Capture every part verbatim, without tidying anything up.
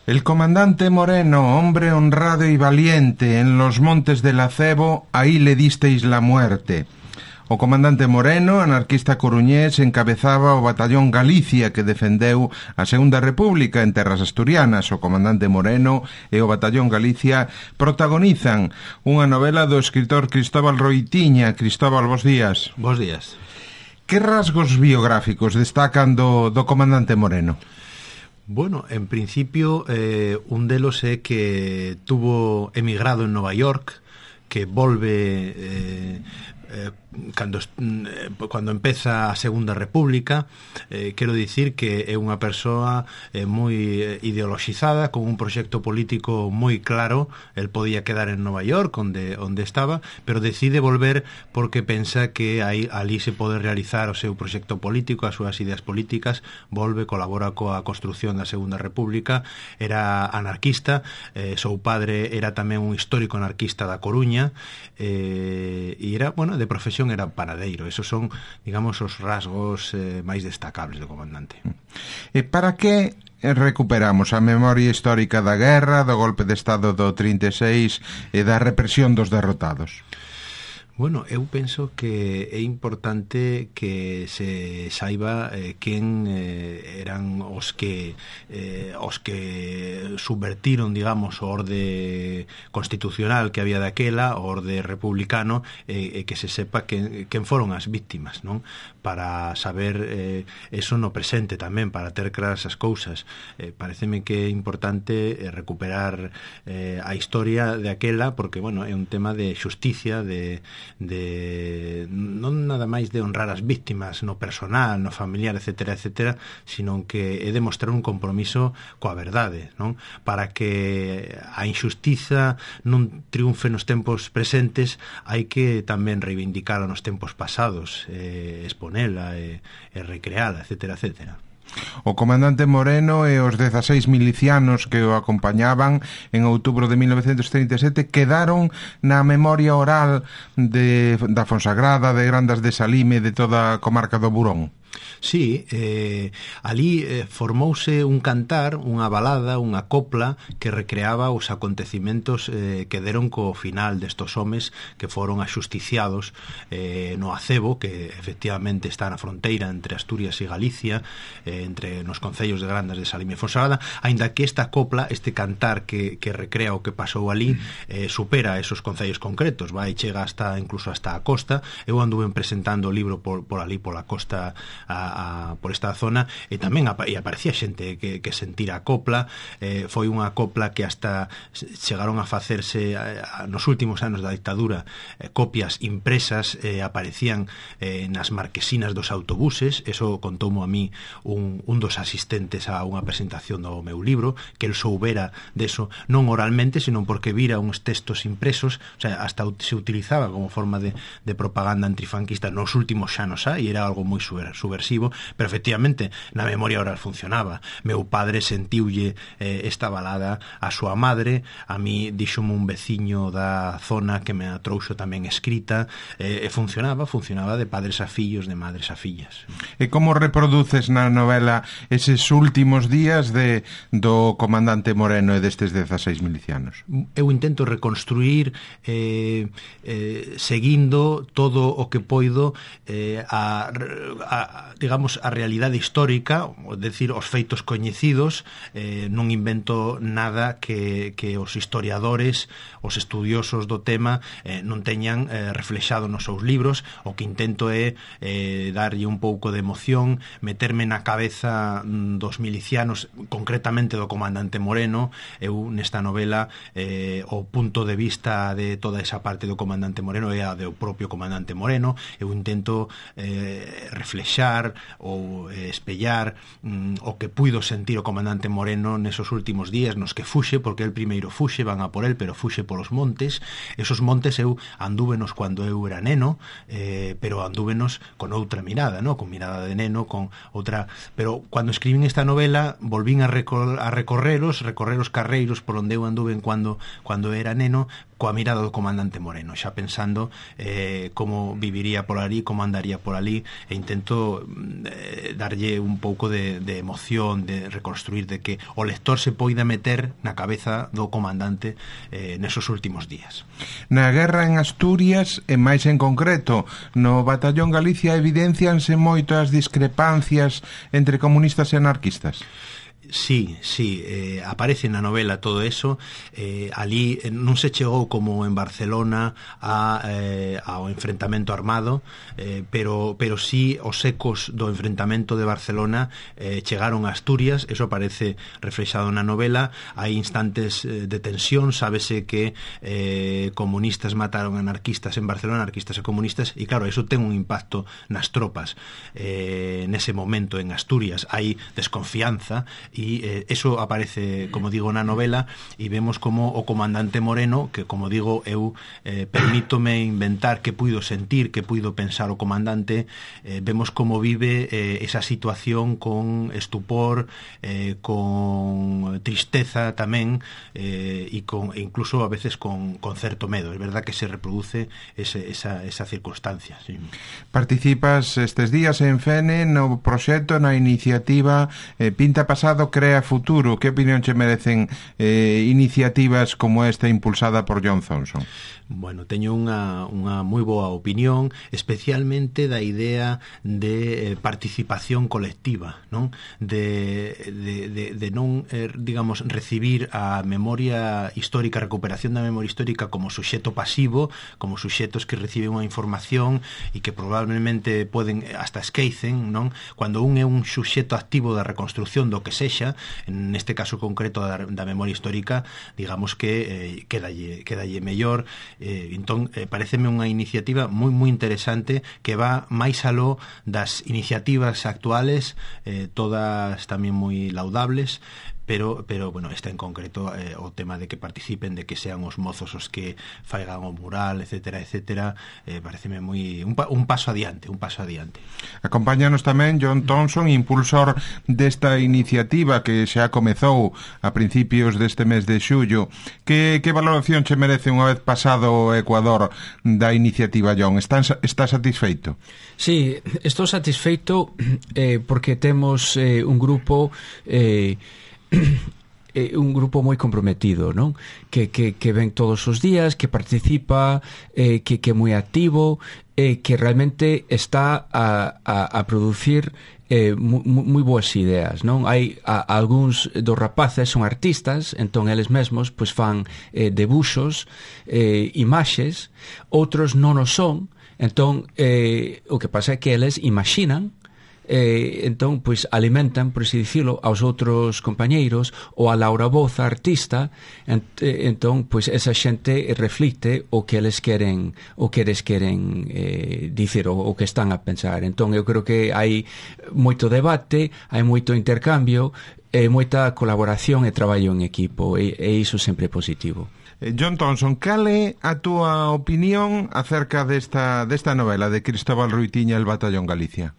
El comandante Moreno, hombre honrado y valiente, en los montes del Acebo, ahí le disteis la muerte. O comandante Moreno, anarquista coruñés, encabezaba o batallón Galicia que defendeu a Segunda República en terras asturianas. O comandante Moreno e o batallón Galicia protagonizan unha novela do escritor Cristóbal Roitiña. Cristóbal, bos días. Bos días. Que rasgos biográficos destacan do, do comandante Moreno? Bueno, en principio, eh, un delos é que tuvo emigrado en Nova York, que volve eh, eh, cando, eh, cando empeza a Segunda República. Eh, quero dicir que é unha persoa eh, moi ideoloxizada, con un proxecto político moi claro. El podía quedar en Nova York, onde, onde estaba, pero decide volver porque pensa que aí, ali se pode realizar o seu proxecto político, as súas ideas políticas. Volve, colabora coa construción da Segunda República, era anarquista, eh, seu padre era tamén un histórico anarquista da Coruña, eh, e era, bueno, de profesión era panadeiro. Esos son, digamos, os rasgos eh, máis destacables do comandante. E para que recuperamos a memoria histórica da guerra, do golpe de Estado do trinta e seis e da represión dos derrotados? Bueno, eu penso que é importante que se saiba eh, quen eh, eran os que eh, os que subvertiron, digamos, o orde constitucional que había daquela, o orde republicano, e eh, que se sepa quen, quen foron as víctimas, non? Para saber eh, eso no presente tamén, para ter claras as cousas. Eh, pareceme que é importante eh, recuperar eh, a historia de aquela, porque, bueno, é un tema de xusticia, de de non nada máis de honrar as víctimas no personal, no familiar, etcétera, etcétera, sino que é demostrar un compromiso coa verdade, non? Para que a injustiza non triunfe nos tempos presentes, hai que tamén reivindicala nos tempos pasados, eh, exponela e, e recreala, etcétera, etcétera. O comandante Moreno e os dezaseis milicianos que o acompañaban en outubro de mil novecentos trinta e sete quedaron na memoria oral de, da Fonsagrada, de Grandas de Salime, de toda a comarca do Burón. Sí, eh, ali eh, formouse un cantar, unha balada, unha copla que recreaba os acontecimentos eh, que deron co final destos homes que foron axusticiados eh, no Acebo, que efectivamente está na fronteira entre Asturias e Galicia, eh, entre nos concellos de Grandas de Salime e Fonsagrada, aínda que esta copla, este cantar que, que recrea o que pasou ali, eh, supera esos concellos concretos, vai, chega hasta incluso hasta a costa. Eu anduve presentando o libro por, por ali, pola costa, A, a, por esta zona, e tamén apa, e aparecía xente que, que sentira a copla. Eh, foi unha copla que hasta chegaron a facerse a, a, nos últimos anos da dictadura, eh, copias impresas, eh, aparecían eh, nas marquesinas dos autobuses. Eso contoumo a mí un, un dos asistentes a unha presentación do meu libro, que el soubera deso, non oralmente, senón porque vira uns textos impresos. O sea, hasta se utilizaba como forma de, de propaganda antifranquista nos últimos xanos, e era algo moi subversivo. Pero efectivamente na memoria oral funcionaba. Meu padre sentiulle eh, esta balada a súa madre, a mí díxome un veciño da zona que me a trouxo tamén escrita, eh, e funcionaba, funcionaba de padres a fillos, de madres a fillas. E como reproduces na novela eses últimos días de do comandante Moreno e destes dezaseis milicianos? Eu intento reconstruir eh, eh, seguindo todo o que poido eh, a, a digamos, a realidade histórica, é dicir, os feitos coñecidos. Eh, non invento nada que, que os historiadores, os estudiosos do tema eh, non teñan eh, reflexado nos seus libros. O que intento é eh, darlle un pouco de emoción, meterme na cabeza dos milicianos, concretamente do comandante Moreno. Eu nesta novela eh, o punto de vista de toda esa parte do comandante Moreno é a do propio comandante Moreno. Eu intento eh, reflexar ou eh, espellar mm, o que puido sentir o comandante Moreno nesos últimos días nos que fuxe, porque el primeiro fuxe, van a por el, pero fuxe polos montes. Esos montes eu andúvenos cando eu era neno, eh, pero andúvenos con outra mirada, ¿no? Con mirada de neno, con outra... Pero cando escribín esta novela volvín a, recor a recorreros, recorreros carreiros por onde eu anduven cando, cando era neno, coa mirada do comandante Moreno, xa pensando eh, como viviría por ali, como andaría por ali, e intento eh, darlle un pouco de, de emoción, de reconstruir, de que o lector se poida meter na cabeza do comandante eh, nesos últimos días. Na guerra en Asturias, e máis en concreto no Batallón Galicia, evidencianse moito as discrepancias entre comunistas e anarquistas? Sí, sí, eh, aparece na novela todo eso. eh, ali eh, non se chegou como en Barcelona a, eh, ao enfrentamento armado, eh, pero, pero sí os ecos do enfrentamento de Barcelona eh, chegaron a Asturias. Eso aparece reflexado na novela. Hai instantes eh, de tensión, sábese que eh, comunistas mataron anarquistas en Barcelona, anarquistas e comunistas, e claro, eso ten un impacto nas tropas. Eh, nese momento en Asturias hai desconfianza, e eh, eso aparece, como digo, na novela, e vemos como o comandante Moreno, que, como digo, eu eh, permítome inventar que puido sentir, que puido pensar o comandante, eh, vemos como vive eh, esa situación con estupor, eh, con tristeza tamén, eh, e con, incluso a veces con, con certo medo. É verdad que se reproduce ese, esa, esa circunstancia. Sí. Participas estes días en Fene no proxecto, na iniciativa eh, Pinta Pasado, Crea Futuro. Que opinión che merecen eh, iniciativas como esta impulsada por John Thompson? Bueno, teño unha, unha moi boa opinión, especialmente da idea de eh, participación colectiva, non? De, de, de, de non, eh, digamos, recibir a memoria histórica, a recuperación da memoria histórica como suxeto pasivo, como suxetos que reciben unha información e que probablemente poden, hasta esquecen, non? Cando un é un suxeto activo da reconstrucción do que sexa, neste caso concreto da, da memoria histórica, digamos que eh, quedalle, quedalle mellor. Eh, entón, eh, pareceme unha iniciativa moi moi interesante, que va máis aló das iniciativas actuales, eh, todas tamén moi laudables, pero, pero bueno, esta en concreto, eh, o tema de que participen, de que sean os mozos os que faigan o mural, etcétera, etcétera, eh, pareceme moi un, pa, un paso adiante, un paso adiante. Acompáñanos tamén John Thompson, impulsor desta iniciativa que xa comezou a principios deste mes de xullo. Que, que valoración che merece unha vez pasado o Ecuador da iniciativa, John? Estás, estás satisfeito? Sí, estou satisfeito eh, porque temos eh, un grupo eh, eh, un grupo moi comprometido, non? Que, que, que ven todos os días, que participa, eh, que, que é moi activo, eh, que realmente está a, a, a producir eh, moi, moi boas ideas, non? Hai a, algúns dos rapaces son artistas, entón eles mesmos pois fan eh, debuxos, eh, imaxes, outros non o son, entón eh, o que pasa é que eles imaxinan, eh, entón, pois, alimentan, por así dicilo, aos outros compañeiros, ou a Laura Boza, artista, ent, eh, entón, pois, esa xente reflicte o que eles queren, o que eles queren eh, dicir, o, o que están a pensar. Entón, eu creo que hai moito debate, hai moito intercambio, e moita colaboración e traballo en equipo, e, e iso sempre é positivo. John Thompson, cal é a túa opinión acerca desta, desta novela de Cristóbal Ruitiña, El Batallón Galicia?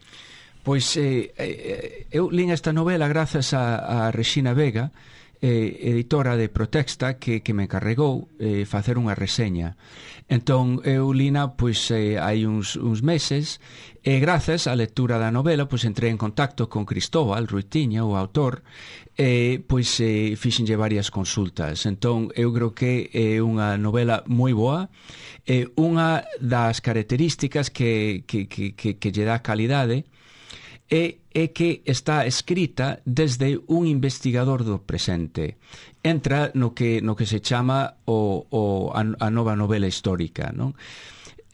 Pois eh, eh, eu lín esta novela grazas a, a Rexina Vega, eh, editora de Protexta, que, que me encarregou eh, facer unha reseña. Entón, eu lina pois, eh, hai uns, uns meses, e grazas á lectura da novela pois entrei en contacto con Cristóbal Ruitiña, o autor, e pois eh, fixenlle varias consultas. Entón, eu creo que é unha novela moi boa, e unha das características que, que, que, que, que lle dá calidade é, é que está escrita desde un investigador do presente. Entra no que, no que se chama o, o, a, a nova novela histórica, non?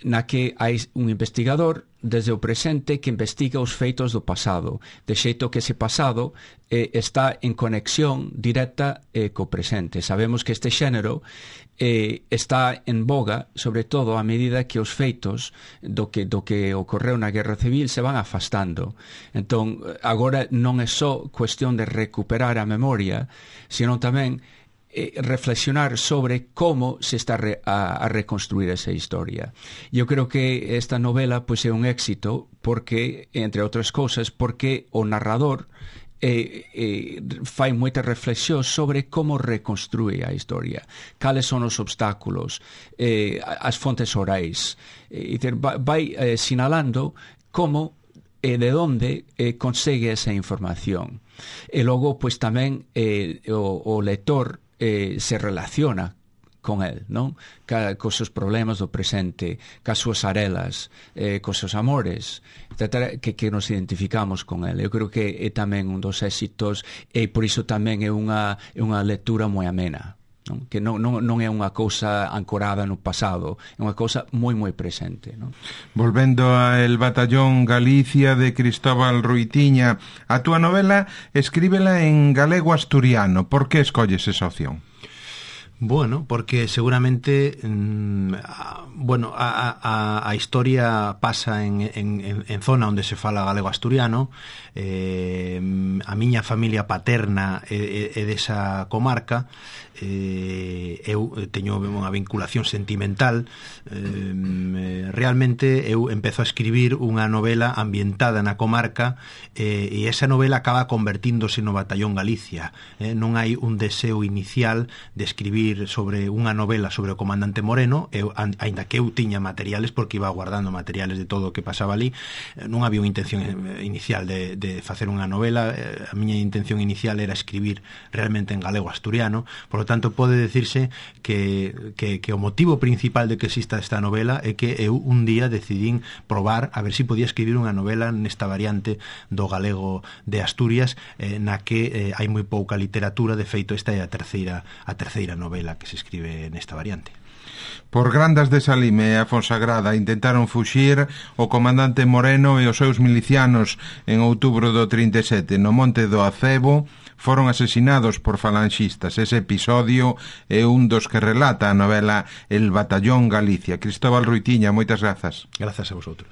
Na que hai un investigador desde o presente que investiga os feitos do pasado, de xeito que ese pasado eh, está en conexión directa eh, co presente. Sabemos que este xénero eh, está en boga, sobre todo a medida que os feitos do que, do que ocorreu na Guerra Civil se van afastando. Entón, agora non é só cuestión de recuperar a memoria, sino tamén reflexionar sobre como se está re, a, a reconstruir esa historia. Eu creo que esta novela pois, é un éxito porque, entre outras cousas, porque o narrador e, e fai moitas reflexións sobre como reconstrúe a historia, cales son os obstáculos, eh, as fontes orais, e vai eh, sinalando como e de onde eh, consegue esa información. E logo, pois tamén eh, o, o lector eh, se relaciona con el, non? Ca, cos seus problemas do presente, cas súas arelas, eh, cos seus amores, etcétera, que, que nos identificamos con el. Eu creo que é tamén un dos éxitos e por iso tamén é unha, é unha lectura moi amena, non? Que non, non, non é unha cousa ancorada no pasado, é unha cousa moi moi presente, non? Volvendo a El Batallón Galicia de Cristóbal Ruitiña, a túa novela escríbela en galego asturiano. Por que escolles esa opción? Bueno, porque seguramente mmm, bueno, a, a, a historia pasa en, en, en zona onde se fala galego asturiano. eh, a miña familia paterna é, é desa comarca. eh, eu teño unha vinculación sentimental. eh, realmente eu empezo a escribir unha novela ambientada na comarca, eh, e esa novela acaba convertíndose no Batallón Galicia. eh, non hai un deseo inicial de escribir sobre unha novela sobre o comandante Moreno. Eu, aínda que eu tiña materiales, porque iba guardando materiales de todo o que pasaba ali, non había unha intención inicial de, de facer unha novela. A miña intención inicial era escribir realmente en galego asturiano. Por lo tanto, pode decirse que, que, que o motivo principal de que exista esta novela é que eu un día decidín probar a ver se si podía escribir unha novela nesta variante do galego de Asturias, eh, na que eh, hai moi pouca literatura. De feito, esta é a terceira, a terceira novela que se escribe nesta variante. Por Grandas de Salime e a Fonsagrada intentaron fuxir o comandante Moreno e os seus milicianos en outubro do trinta e sete. No Monte do Acebo foron asesinados por falanxistas. Ese episodio é un dos que relata a novela El Batallón Galicia. Cristóbal Ruitiña, moitas grazas. Grazas a vosotros.